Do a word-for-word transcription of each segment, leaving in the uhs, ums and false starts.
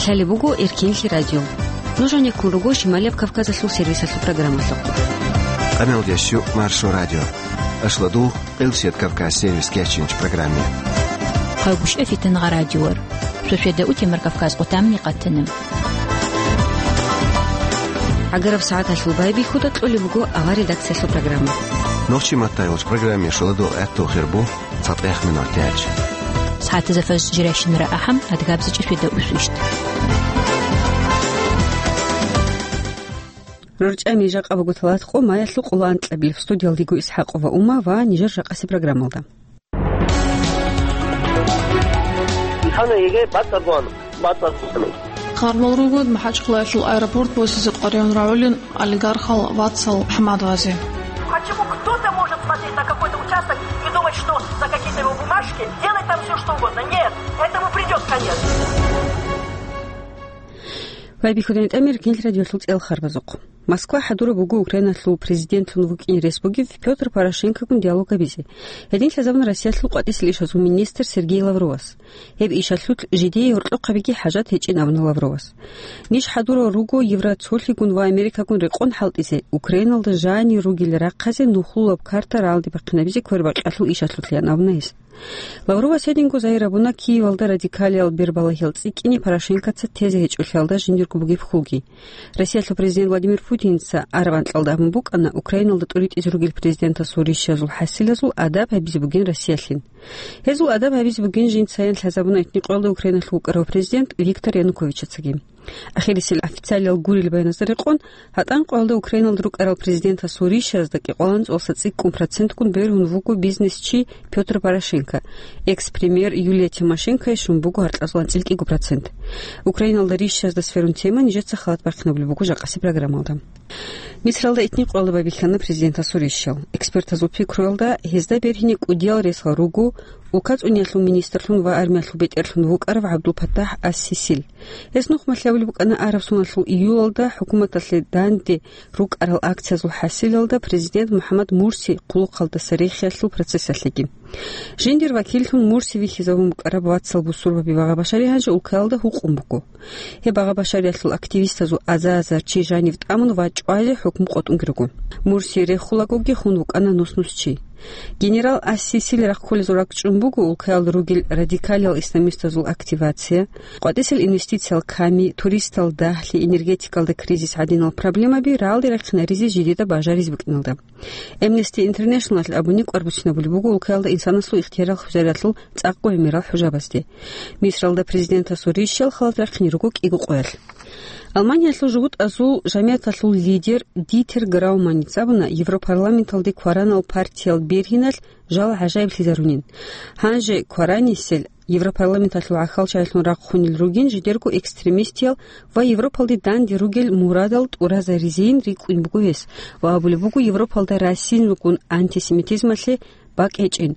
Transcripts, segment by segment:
Лъалеб буго Эркенлъи радио. Нуж гьанеккун руго Шималияб Кавказалъул сервисалъул программалъухъ. Къамелдеш ю Маршо радио. Ашладул Къилсият Кавказ сервис кечинч программе. Хъалгушев Фитангъа радиор. Сосведа утемар Кавказ къутамни къатана. ГӀагараб сагӀаталъул байбихьуда кьолеб буго авар редакциялъул программа. Нохчи маттайолч программе шуладул гӀатту хирбу цатӀех минор тяч. СагӀатаза фаз жиращинара ахӀам, адгабзичӀи сосведа усвищт. РорчӀами жакъа буго талат къо маялъул къуланкьабилеб студиялдего ИсхӀакъова Ума ва нижер жакъаси программалда. Хана еге бацӀцӀадгъан, бацӀцӀадгъан. Хъарбал ругод МахӀачхъалаялъул аэропорт босизе къваригӀун рагӀулин олигархал вацал ХӀамадовазе. Почему кто-то может смотреть на какой-то участок и думать, что за какие-то его бумажки делать там всё, что угодно? Нет, этому придёт конец. Байбихьудани тӀамир кинл радиолъул цӀел харбазухъ. Москва хӀадураб буго Украиналъул президентлъун вукӀине рес бугев Пётр Порошенкогун диалог гьабизе. Гьедин лъазабун Россиялъул къватӀисел ишазул министр Сергей Лавровас. Гьеб ишалъулъ жидее гьоркьохъабиги хӀажат гьечӀин абуна Лавровас. Ниж хӀадурал руго Евроцолъигун ва Америкагун рекъон хӀалтӀизе, Украиналда жанир ругел рахъазе нухлулаб карта рагӀалде бахъинабизе квербакъиялъул ишалъулъ, ян абуна гьес. Лавровас гьединго загьир гьабуна Киевалда радикалиял бербалагьал цӀикӀкӀине Порошенкоца тезе гьечӀолъиялда жиндирго бугеб хьулги. Россиялъул президент Владимир Путинца араб анкьалда абун букӀана Украиналда тӀуритӀизе ругел президентасул рищазул хӀасилазул адаб гьабизе бугин Россиялъин. Гьезул адаб гьабизе бугин жинцайин лъазабуна итни къоялда Украиналъул вукӀарав президент Виктор Януковичацаги. Ахирисел официалиял гурел баяназда рекъон, гьатӀан къоялда Украиналда рукӀарал президентасул рищазда кӀикъоялда цӀолъиса цӀикӀкӀун процентгун бергьун вуго бизнесчи Пётр Порошенко, экс-премьер Юлия Тимошенкое щун буго гьаркьазул анцӀила кӀиго процент. Украиналда рищазда сверун тема нижеца халат бахъинабулеб буго жакъаси программалда. Мисралда итни къоялда байбихьана президентасул рищал. Экспертазул пикруялда, гьезда бергьине кӀудиял ресал руго улка цӀуниялъул министрлъун ва армиялъул бетӀерлъун вукӀарав ГӀабдул-Паттахь ас-Сисил. Гьес нухмалъи абулеб букӀана араб соналъул июлалда хӀукуматалъе данде рукӀарал акциязул хӀасилалда президент МухӀаммад Мурси хъулухъалдаса рехиялъул процессалъеги. Жиндир вакиллъун Мурси вихьизабун букӀараб вацал бусурбаби ва гъабашари гьанже улкаялда гьукъун буго. Гьеб гъабашариялъул активистазул азар-азар чи жанив тӀамун ва чӀвазе хӀукму къотӀунги руго. Мурси рехулагоги хун вукӀана нус-нус чи. Генерал ас-Сисил рахъулезул ракӀчӀун буго улкаялда ругел радикалиял исламистазул активация, къватӀисел инвестициял ками, туристал дагьлъи, энергетикалда кризис гӀадинал проблемаби рагӀалде рахъинаризе жидеда бажаризе букӀиналда. Amnesty International-алъ абуни кӀвар буцинабулеб буго улкаялда инсанасул ихтиярал хвезариялъул цӀакъго гӀемерал хӀужабазде. Мисралда президентасул рищал халат рахъине руго кӀиго къоялъ. Алманиялъул жугьутӀазул жамигӀаталъул лидер Дитер Грауманица абуна Европарламенталде кваранал партиял бергьиналъ жал гӀажаиблъизарунин. Гьанже кваранисел Европарламенталъул гӀахьалчагӀилъун рахъунел ругин жидерго экстремистиял ва Европалде данде ругел мурадал тӀуразаризейин рикӀкӀун буго гьес ва абулеб буго Европалда расизмгун антисемитизмалъе бакӀ гьечӀин.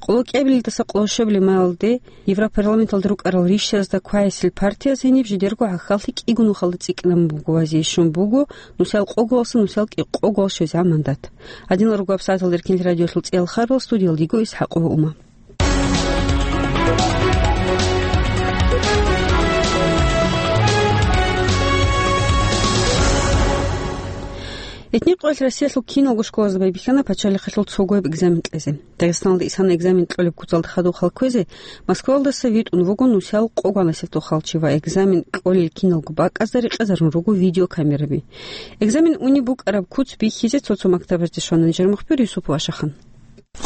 Къоло кӀиабилелдаса къоло щуабилеб майалде Европарламенталда рукӀарал рищазда квайсел партияс гьениб жидерго гӀахьаллъи кӀиго нухалда цӀикӀкӀинабун буго ва зейищун буго нусал къоголаса нусал кӀикъого щвезегӀан мандат. Гьадинал руго гьабсагӀаталда Эркенлъи радиолъул цӀиял харбал, студиялдего ИсхӀакъова Ума. Итни къоялъ Россиялъул киналго школазда байбихьана пачалихъалъул цогояб экзамен кьезе. Дагъистаналда исана экзамен кьолеб куцалда хадуб халкквезе Москвалдаса витӀун вуго нусал къо-, гъанасеб тухал чи ва экзамен кьолел киналго бакӀазда рекъезарун руго видеокамераби. Экзамен унеб букӀараб куц бихьизе цо-цо мактабазде щвана нижер мухбир Юсупов Ашахан.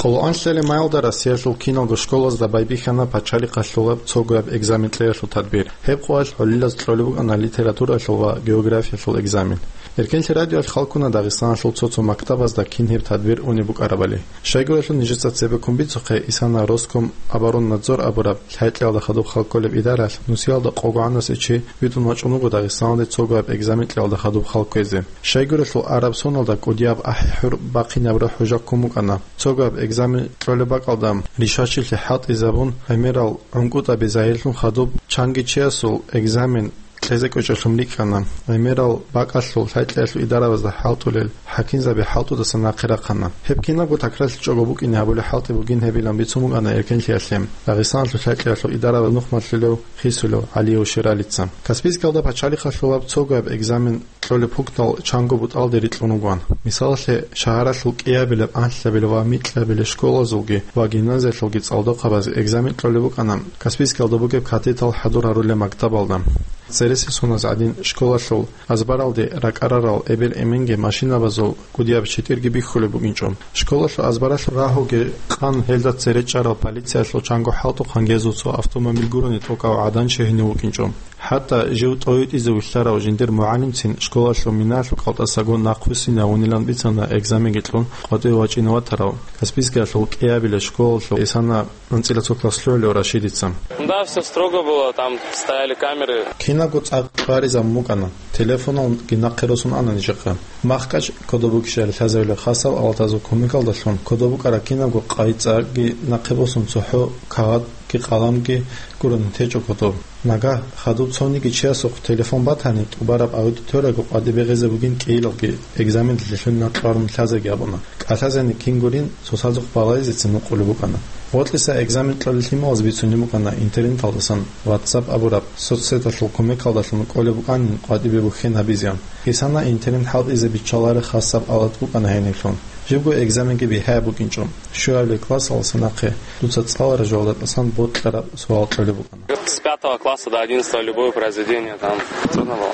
Къоло анлъабилеб майалда Россиялъул киналго школазда байбихьана пачалихъалъулаб цогояб экзамен кьеялъул тадбир. Гьеб къоялъ гӀолилаз кьолеб букӀана литературалъул ва географиялъул экзамен. Эркенлъи радиоялъ хал ккуна Дагъистаналъул цо-цо мактабазда кин гьеб тадбир унеб букӀарабали. Щайгурелъул нижеца цебеккун бицухъе, исана Роскомобороннадзор абураб лъай-кьялда хадуб хал кколеб идаралъ нусиялда къо-, гъанасеб чи витӀун вачӀун вуго Дагъистаналде цогояб экзамен кьеялда хадуб хал кквезе. Щайгурелъул араб соналда кӀудияб ахӀи-хӀур бахъинабураб хӀужа ккун букӀана. Цогояб экзамен кьолеб бакӀалда ришачилъи хӀалтӀизабун, гӀемерал гӀункӀутӀаби загьирлъун хадуб чанги чиясул экзамен кьезе кӀвечӀолъун рикӀкӀана. ГӀемерал бакӀалъул лъай-кьеялъул идаравазда хӀалтӀулел хӀакимзаби хӀалтӀудаса нахъе рахъана. Гьеб кинабго такрарлъичӀого букӀине гьабулеб хӀалтӀи бугин гьебилан бицун букӀана эркенлъиялъе Дагъистаналъул лъай-кьеялъул идараваз нухмалъулев Хисулев ГӀалиев Ширалица. Каспийскалда пачалихъалъулаб цогояб экзамен кьолеб пунктал чанго бутӀалде рикьун вугоан. Мисалалъе, шагьаралъул кӀиабилеб, анлъабилеб ва микьабилеб школазулги ва гимназиялъулги цӀалдохъабазе экзамен кьолеб букӀана Каспийскалда бугеб катетал хӀадур гьарулел мактабалда. Цересел соназ гӀадин, школалъул азбаралде ракӀарарал эбел-эменги машинабазул кӀудияб читӀирги бихьулеб букӀинчӀо. Школалъул азбаралъул рагьуги къан гьелда цере чӀарал полициялъул чанго хӀалтӀухъан гьезул цо автомобиль гурони тӀокӀав гӀадан чегьунев вукӀинчӀо. ХӀатта жив тӀовитӀизе вилълъарав жиндир мугӀалимцин школалъул минаялъул кӀалтӀасаго нахъвуссинавунилан бицана экзаменги кьун къватӀиве вачӀине ватарав Каспийскиялъул кӀиабилеб школалъул исана анцӀила цо класс лъугӀулев Рашидица. Да, всё строго было, там стояли камеры. Кинабго цӀакъ кьваризабун букӀана. Телефоналги нахъе росун ана нижехъа. МахкӀач кодоб букӀищали лъазавилеб хасаб алатазул кумекалдалъун кодоб букӀараб кинабго къайи-цӀакъги нахъе босун цохӀо кагъатги къаламги гурони течӀо кодоб. Нагагь хадуб цониги чиясухъ телефон батани, тӀубараб аудиториялъго къватӀибе гъезе бугин кӀиялги, экзаменалъе лъугьиналъ кьварун лъазеги абуна. КӀалъазени кин гурин, цоцазухъ балагьизецин нукъулеб букӀана. Гъоркьиса экзамен кьолел лъималаз бицунеб букӀана интернеталдасан, WhatsApp абураб соцсеталъул кумекалдалъун кӀолеб букӀанин къватӀибе бухьен гьабизеян. Исана интернет хӀалтӀизе биччалареб хасаб алат букӀана гьениблъун. Жибго экзаменги бигьаяб букӀинчӀо. Щуабилеб классалдаса нахъе дуца цӀалараб жоялда тӀасан бокьараб суал кьолеб букӀана. С пятого класса до одиннадцатого любое произведение там трудно было.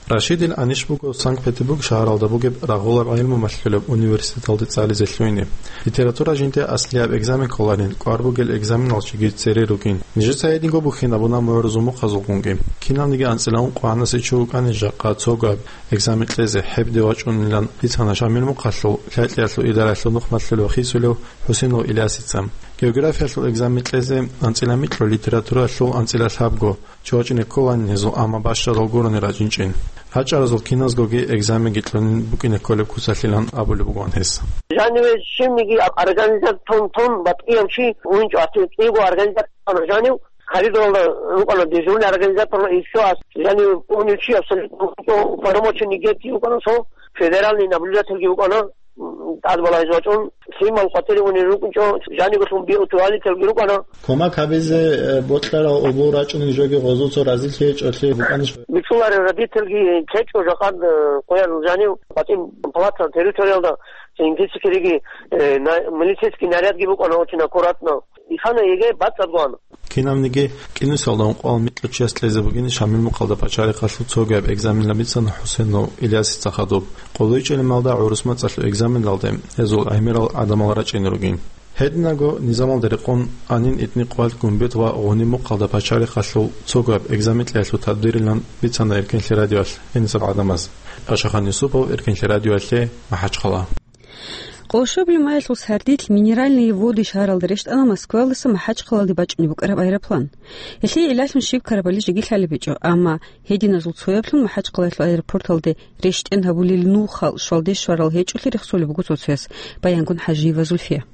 Рашидил анищ буго Санкт-Петербург шагьаралда бугеб рагъулаб гӀилму малъулеб университеталде цӀализе лъугьине. Литература жинде аслияб экзамен кколарин, кӀвар бугел экзаменал чиги цере ругин. Нижеца гьединго бухьинабуна мугӀрузул мухъазулгунги. Кинабниги анцӀила ункъо гьанасе чи вукӀани жакъа цогояб экзамен кьезе гьебде вачӀунилан бицана Шамил мухъалъул лъай-кьеялъул идараялъул нухмалъулев Хисулев ХӀусенов Илясица. Географиялъул экзамен кьезе анцӀила микьго, литературалъул анцӀила лъабго чи вачӀине кколанин гьезул, амма бащадал гурони рачӀинчӀин. РачӀаразул киназгоги экзаменги кьунин букӀине кколеб куцалъилан абулеб бугоан гьес. Жаниве щивниги организатор тун-тун батӀияб чи вугинчӀо, гьатӀи кӀиго организатор жанив коридоралда рукӀана дежурный организатор, и всё, ас-, жанив унев чи абсолютно вугинчӀо, уполномоченный геть вукӀана цо, федеральный наблюдательги вукӀана, м, тӀад балагьизе вачӀун, лъимал къватӀире унел рукӀинчӀо, жанивелъун биутуалителги рукӀана. Кумек гьабизе, э, бокьарал обол рачӀунел жоги гъозул цо разилъи гьечӀолъи букӀанищ? Бицунарел родительги ккечӀо жакъад, э, къоял жанив къватӀин палатал территориялда ингицикириги, э, на-, милицейский нарядги букӀана очень аккуратно. Ихана еге бацӀцӀадгоан. Кинабниги кӀинусиялда ункъоялда микьго чияс кьезе бугин Шамил мухъалда пачалихъалъул цогояб экзаменал бицана ХӀусенов Илясица хадуб. КъолайчӀелималда гӀурус мацӀалъул экзаменалде гьезул гӀемерал гӀадамал рачӀине ругин. Гьединаго низамалда рекъон Анин, ИтӀни, Къвалд, Гумбет ва Гъуниб мухъалда пачалихъалъул цогояб экзамен кьеялъул тадбирилан бицана Эркенлъи радиоялъ гьениб гӀадамаз. Пашахан Юсупов, Эркенлъи радиоялъе, МахӀачхъала. Къолшобили маялъул сардилъ Минеральные Воды шагьаралда рещтӀана Москваялдаса МахӀачхъалалде бачӀунеб букӀараб аэроплан. Гьелъие гӀиллалъун щиб ккарабали жеги лъалеб гьечӀо, амма гьединазул цояблъун МахӀачхъалаялъул аэропорталде рещтӀен гьабулел нухал щвалде щварал гьечӀолъи рехсолеб буго цо-цояс, Баянгун ХӀажиева Зульфия.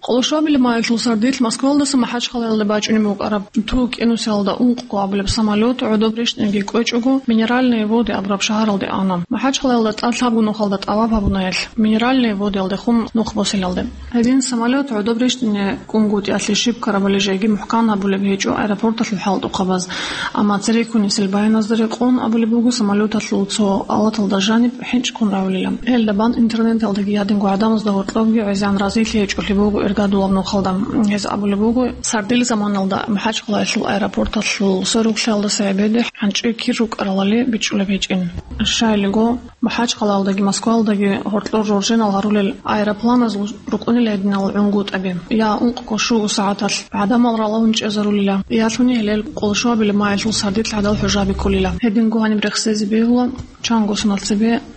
Къолшобили маялъул сардилъ Москваялдаса МахӀачхъалаялде бачӀунеб букӀараб Ту кӀинусиялда ункъго абулеб самолет гӀодоб рещтӀинги кӀвечӀого, Минеральные Воды абураб шагьаралде ана. МахӀачхъалаялда тӀад лъабго нухалда тӀаваб гьабуна гьелъ, Минеральные Водыялдехун нух босилалде. Гьедин самолет гӀодоб рещтӀине кӀунгутӀиялъе щиб ккарабали жеги мухӀкан гьабулеб гьечӀо аэропорталъул хӀалтӀухъабаз, амма цереккунисел баяназда рекъон абулеб буго самолеталъул цо алаталда жаниб хӀинчӀ ккун равлила. Гьелда бан интернеталдаги гьадинго гӀадамазда гьоркьобги гӀезегӀан разилъи гьечӀолъи буго иргадулаб нухалда. Гьез абулеб буго, сардил заманалда МахӀачхъалаялъул аэропорталъул сверухълъиялдаса гӀебеде хӀанчӀи кир рукӀаралали бичӀчӀулеб гьечӀин. Щайилго, МахӀачхъалаялдаги Москваялдаги гьоркьор жоржинал гьарулел аэропланазул рукӀунила гьединал гӀунгутӀаби. Я ункъго-щуго сагӀаталъ гӀадамал ралалун чӀезарулила, ялъуни гьелел къолшобили маялъул сардилъ гӀадал хӀужаби кколила. Гьединго гьаниб рехсезе бегьула, чанго соналъ цебе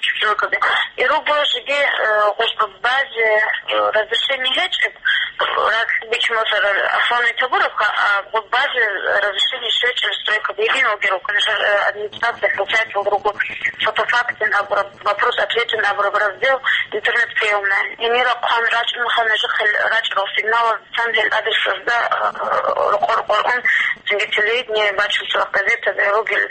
чучуркаби. И руго жиги, э, гъуж базе, э, разрешение гьечӀеб, Ракь бичун босарал Аслан Витагуровка, а вот базе разрешение щвечӀеб стройка бегьин вугев, конечно, э, администрация получает в руку фотофактин абураб, вопрос-ответин абураб раздел, интернет-приёмная. Гьенира хъван рачӀунха нужехъе рачӀарал сигнал цан гьел адресазда, э, рокъор-рокъор ун, цинги телевидение бачун, цо газетаби ругел,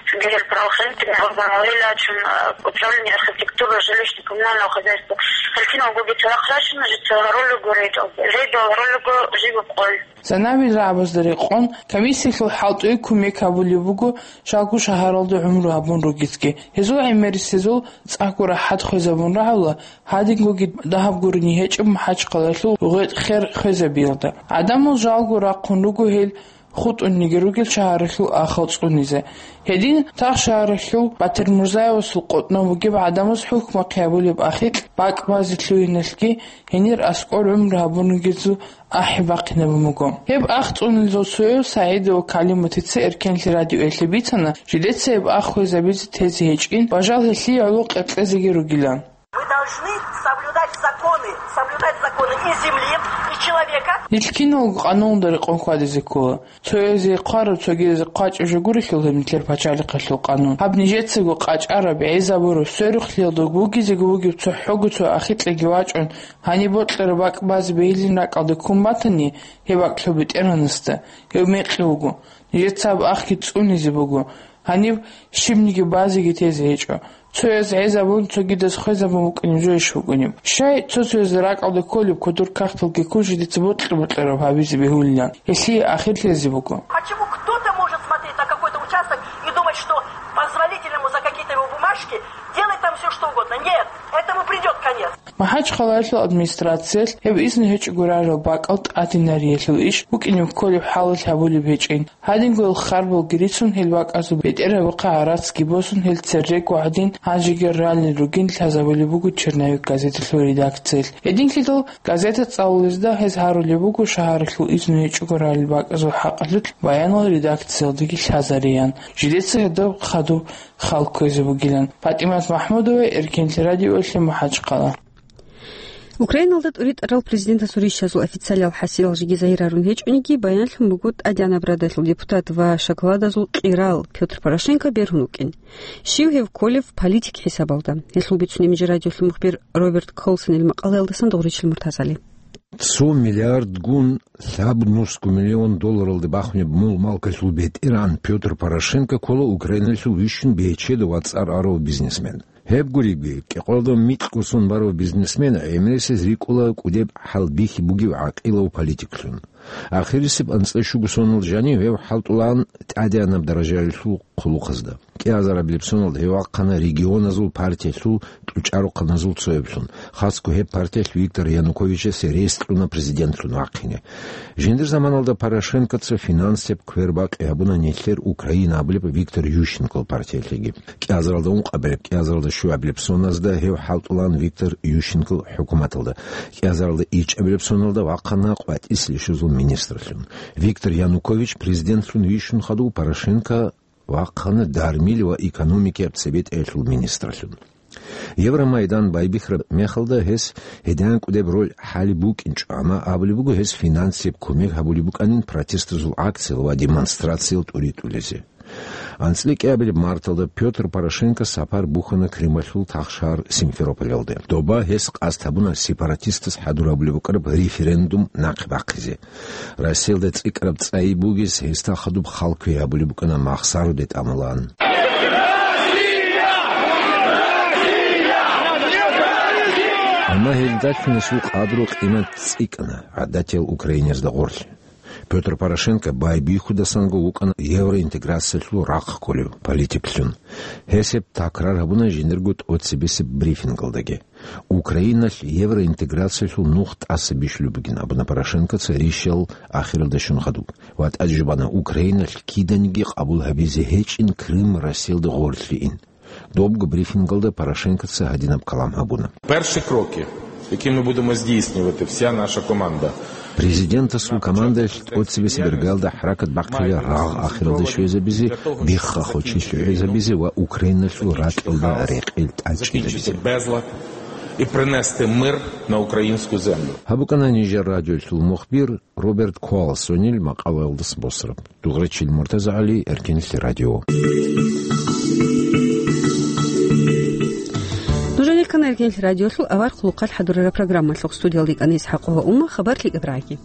цинги гьел правоохранительный органалила чун, э, управление архитектуры, жилищно-коммунального хозяйства. Гьел киналгоги цадахъ рачуна, жица гьарулего рейд. Рейдал гьарулего жиб къой. Санавил рагӀабазда рекъон, комиссиялъул хӀалтӀуе кумек гьабулеб буго, жалго шагьаралда гӀумру гьабун ругецги. Гьезул гӀемерисезул цӀакъго рахӀат хвезабун рагӀула, гьадингоги дагьаб гурони гьечӀеб МахӀачхъалаялъул гъветӀ-хер хвезабиялда. ГӀадамал жалго рахъун руго гьел хутӀунниги ругел шагьаралъул ахал цӀунизе. Гьедин, тахшагьаралъул Батирмурзаевасул къотӀнов вугеб гӀадамаз хӀукмахъе гьабулеб ахикь бакӀ базе лъугьиналъги гьенир аскӀор гӀумру гьабун ругезул ахӀи бахъинабун буго. Гьеб ах цӀунилзул цояв СагӀидова Калиматица Эркенлъи радиоялъе бицана, жидеца гьеб ах хвезабизе тезе гьечӀин ва жал гьелъие гӀоло къеркьезеги ругилан. Вы должны соблюдать законы, соблюдать законы и земли, и человека. Нилъ киналго къануналда рекъон хьвадизе ккола. Цоязе хъвараб, цогиязе хъвачӀеб жо гурелъул гьеб нилъер пачалихъалъул къанун. Гьаб нижецаго къачӀараб, гӀезабураб, сверухълъиялда бугезего бугеб цохӀого цо ахикьаги вачӀун, гьаниб бокьараб бакӀ базе бегьилин ракӀалде ккун батани, гьеб бакӀ лъо БетӀергьанасда, гьев мекъи вуго. Нижеца гьаб ахги цӀунизе буго. Гьаниб щибниги базеги тезе гьечӀо. Цояз гӀезабун, цогидаз хвезабун букӀунеб жойищ букӀунеб? Щай цо-цояз ракӀалде кколеб кодор кагъталги ккун жидеца бокьа-бокьараб гьабизе бегьулилан? Гьелъие ахир лъезе буго. Почему кто-то может смотреть на какой-то участок и думать, что позволительно ему за какие-то его бумажки делать там все что угодно? Нет, этому придет конец. МахӀачхъалаялъул администрациялъ гьеб изну гьечӀого рарал бакӀал тӀадинариялъул иш букӀинеб кколеб хӀалалъ гьабулеб гьечӀин. Гьадинго гьел харбалги рицун, гьел бакӀазул бетӀергьабухъе гӀарацги босун, гьел церрего гӀадин гьанжеги ралел ругин лъазабулеб буго «Черновик» газеталъул редакциялъ. Гьединлъидал газета цӀалулезда гьез гьарулеб буго шагьаралъул изну гьечӀого ралел бакӀазул хӀакъалъулъ баянал редакциялдаги лъазариян. Жидеца гьадаб хадуб хал кквезе бугилан. ПатӀимат МахӀмудова, Эркенлъи радиоялъе, МахӀачхъала. Украиналда тӀуритӀарал президентасул ришазул официалиял хӀасилал жеги загьир гьарун гьечӀониги, баянлъун буго тӀадегӀанаб радалъул депутат ва шоколадазул кьирал Пётр Порошенко бергьун вукӀин. Щив гьев кколев политик хӀисабалда? Гьелъул бицунеб жо радиолъул мухбир Роберт Колсонил макъалаялдасан. Дугъричил Муртазали. Цо миллиардгун лъабнусго миллион долларалде бахунеб мул-малкалъул бетӀергьан Пётр Порошенко ккола Украиналъул вищун бечедав ва цӀар арав бизнесмен. Гьеб гуребги, кӀикъоялда микьго сон барав бизнесмен гӀемерисез рикӀкӀула кӀудеб хӀалбихьи бугев гӀакъилав политиклъун. Ахирисеб анцӀила щуго соналда жанив гьев хӀалтӀулаан тӀадегӀанаб даражаялъул хъулухъазда. КӀиазарабилеб соналда гьев вахъана регионазул партиялъул кьучӀарухъаназул цояблъун, хасго гьеб партиялъ Виктор Януковичасе рес кьуна президентлъун вахъине. Жиндир заманалда Порошенкоца финансияб квербакъи гьабуна нилъер Украина абулеб Виктор Ющенкол партиялъеги. КӀиазаралда ункъабилеб, кӀиазаралда щуабилеб соназда гьев хӀалтӀулаан Виктор Ющенкол хӀукуматалда. КӀиазаралда ичӀабилеб соналда вахъана къватӀиса щвезул министрлъун. Виктор Янукович президентлъун вищун хадув Порошенко вахъана дармил ва экономикияб цебетӀаялъул министрлъун. Евромайдан байбихьараб мехалда гьес гьединан кӀудеб роль хӀалеб букӀинчӀо, амма абулеб буго, гьес финансияб кумек гьабулеб букӀанин протестазул акциял ва демонстрациял тӀуритӀулезе. АнцӀила кӀиабилеб марталда Пётр Порошенко сапар бухьана Крымалъул тахшагьар Симферополалде. Доба гьес къасд гьабуна сепаратистаз хӀадур гьабулеб букӀараб референдум нахъе бахъизе. Россиялда цӀикӀкӀараб цӀайи бугес гьесда хадуб хал кквей гьабулеб букӀана махсаруде тӀамулаан. Амма гьелдалъун гьесул къадру-къимат цӀикӀкӀана гӀадатиял украиназда гъорлъ. Пётр Порошенко байбихьудасанго вукӀана евроинтеграциялъул рахъ кколев политиклъун. Гьес гьеб такрар гьабуна жиндирго тӀоцебесеб брифингалдаги. Украиналъ евроинтеграциялъул нух тӀаса бищулеб бугин абуна Порошенкоца ришал ахиралда щун хадуб. Ва тӀаде жубана Украиналъ киданиги къабул гьабизе гьечӀин Крым Россиялда гъорлъейин. Добго брифингалда Порошенкоца гьадинаб калам гьабуна. Перші кроки, які ми будемо здійснювати, вся наша команда. Президентасул командаялъ тӀоцебесеб иргаялда хӀаракат бахъила рагъ ахиралде щвезабизе, бихха-хочи лъугӀизабизе ва Украиналъул ракьалда рекъел тӀадчӀезабизе. Безлад. І принести мир на українську землю. Гьаб букӀана нижер радиолъул мухбир Роберт Куалсонил макъалаялдаса босараб. Дугърачил Муртаза ГӀали, Эркенлъи радио. Нужер рехъана Эркенлъи радиолъул авар хъулухъалъ хӀадурараб программалъухъ. Студиялда йикӀана ИсхӀакъова Умма, хабар лъикӀаб рагӀи.